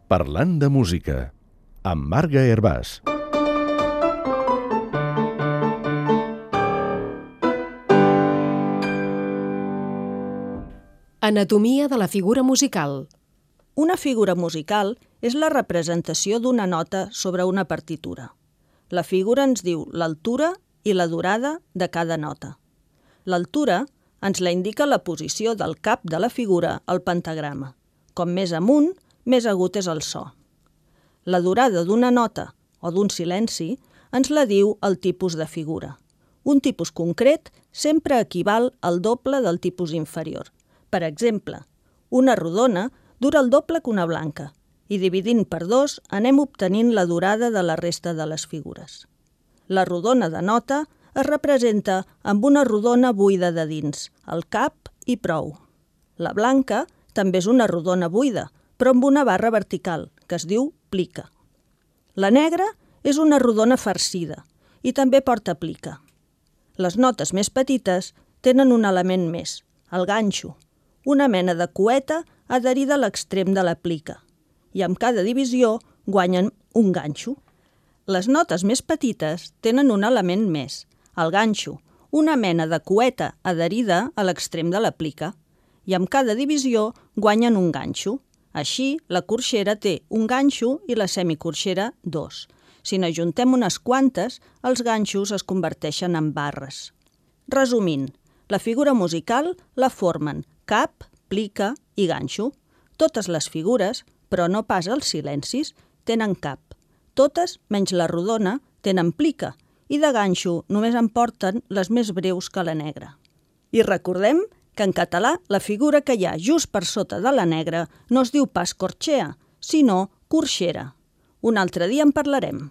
Parlant de música, amb Marga Hervàs. Anatomia de la figura musical. Una figura musical és la representació d'una nota sobre una partitura. La figura ens diu l'altura i la durada de cada nota. L'altura ens la indica la posició del cap de la figura al pentagrama. Com més amunt, més agut és el so. La durada d'una nota o d'un silenci ens la diu el tipus de figura. Un tipus concret sempre equival al doble del tipus inferior. Per exemple, una rodona dura el doble que una blanca i dividint per 2 anem obtenint la durada de la resta de les figures. La rodona de nota es representa amb una rodona buida de dins, el cap i prou. La blanca també és una rodona buida, però amb una barra vertical, que es diu plica. La negra és una rodona farcida i també porta plica. Les notes més petites tenen un element més, el ganxo, una mena de cueta adherida a l'extrem de la plica, i amb cada divisió guanyen un ganxo. Les notes més petites tenen un element més, el ganxo, una mena de cueta adherida a l'extrem de la plica, i amb cada divisió guanyen un ganxo. Així, la corxera té un ganxo i la semicorxera 2. Si n'ajuntem unes quantes, els ganxos es converteixen en barres. Resumint, la figura musical la formen cap, plica i ganxo. Totes les figures, però no pas els silencis, tenen cap. Totes, menys la rodona, tenen plica, i de ganxo només en porten les més breus que la negra. I recordem que en català la figura que hi ha just per sota de la negra no es diu pas corxea, sinó corxera. Un altre dia en parlarem.